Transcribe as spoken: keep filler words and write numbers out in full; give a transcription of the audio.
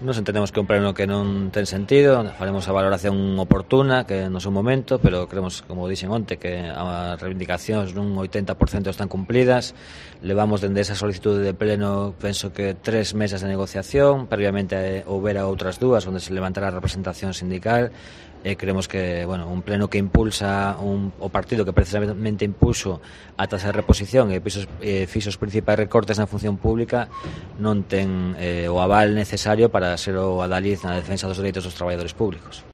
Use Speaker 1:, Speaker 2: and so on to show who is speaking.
Speaker 1: Nos entendemos que é un pleno que non ten sentido, faremos a valoración oportuna que no seu momento, pero creemos, como dixen onte, que as reivindicacións nun oitenta por cento están cumplidas. Levamos dende esa solicitude de pleno, penso que tres mesas de negociación, previamente houbera outras dúas onde se levantara a representación sindical, e creemos que, bueno, un pleno que impulsa un, o partido que precisamente impuso a tasa de reposición e fixos, eh, fixos principais recortes na función pública non ten eh, o aval necesario para ser o adalid na defensa dos dereitos dos traballadores públicos.